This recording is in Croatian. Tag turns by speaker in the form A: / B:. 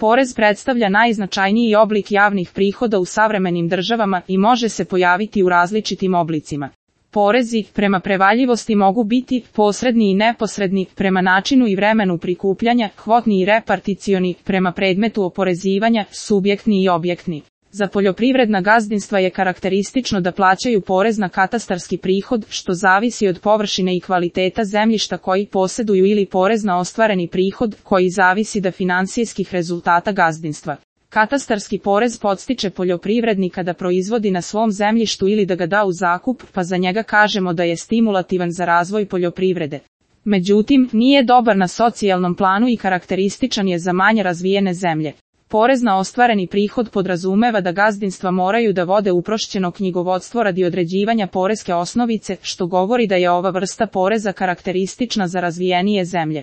A: Porez predstavlja najznačajniji oblik javnih prihoda u savremenim državama i može se pojaviti u različitim oblicima. Porezi, prema prevaljivosti, mogu biti posredni i neposredni, prema načinu i vremenu prikupljanja, kvotni i reparticioni, prema predmetu oporezivanja, subjektni i objektni. Za poljoprivredna gazdinstva je karakteristično da plaćaju porez na katastarski prihod, što zavisi od površine i kvaliteta zemljišta koji posjeduju, ili porez na ostvareni prihod, koji zavisi od finansijskih rezultata gazdinstva. Katastarski porez podstiče poljoprivrednika da proizvodi na svom zemljištu ili da ga da u zakup, pa za njega kažemo da je stimulativan za razvoj poljoprivrede. Međutim, nije dobar na socijalnom planu i karakterističan je za manje razvijene zemlje. Porez na ostvareni prihod podrazumeva da gazdinstva moraju da vode uprošćeno knjigovodstvo radi određivanja poreske osnovice, što govori da je ova vrsta poreza karakteristična za razvijenije zemlje.